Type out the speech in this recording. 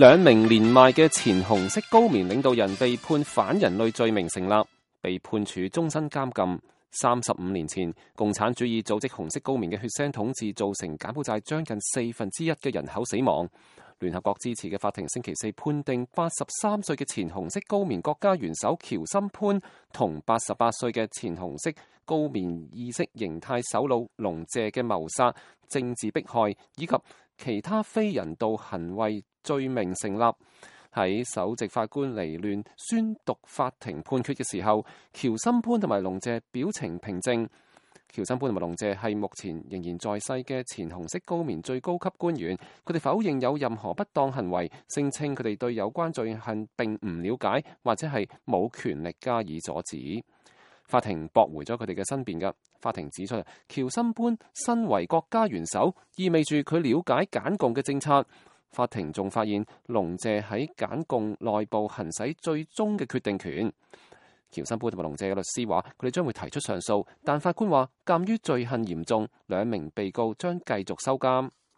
兩名年邁嘅前紅色高棉領導人被判反人類罪名成立，被判處終身監禁。35年前，共產主義組織紅色高棉嘅血腥統治造成柬埔寨將近1/4嘅人口死亡。聯合國支持嘅法庭星期四判定83歲嘅前紅色高棉國家元首喬森潘同88歲嘅前紅色高棉意識形態首腦龍謝嘅謀殺、政治迫害以及其他非人道行為罪名成立。喺首席法官黎亂宣讀法庭判決嘅時候，喬森潘同埋龍謝表情平靜。喬森潘同埋龍謝係目前仍然在世嘅前紅色高棉最高級官員，佢哋否認有任何不當行為，聲稱佢哋對有關罪行並唔了解，或者係冇權力加以阻止。法庭駁回咗佢哋嘅申辯㗎。法庭指出，喬森潘身為國家元首，意味住佢了解柬共嘅政策。法庭仲發現龍謝喺柬共內部行使最終嘅決定權。喬森潘同埋龍謝嘅律師話，佢哋將會提出上訴，但法官話，鑑於罪行嚴重，兩名被告將繼續收監。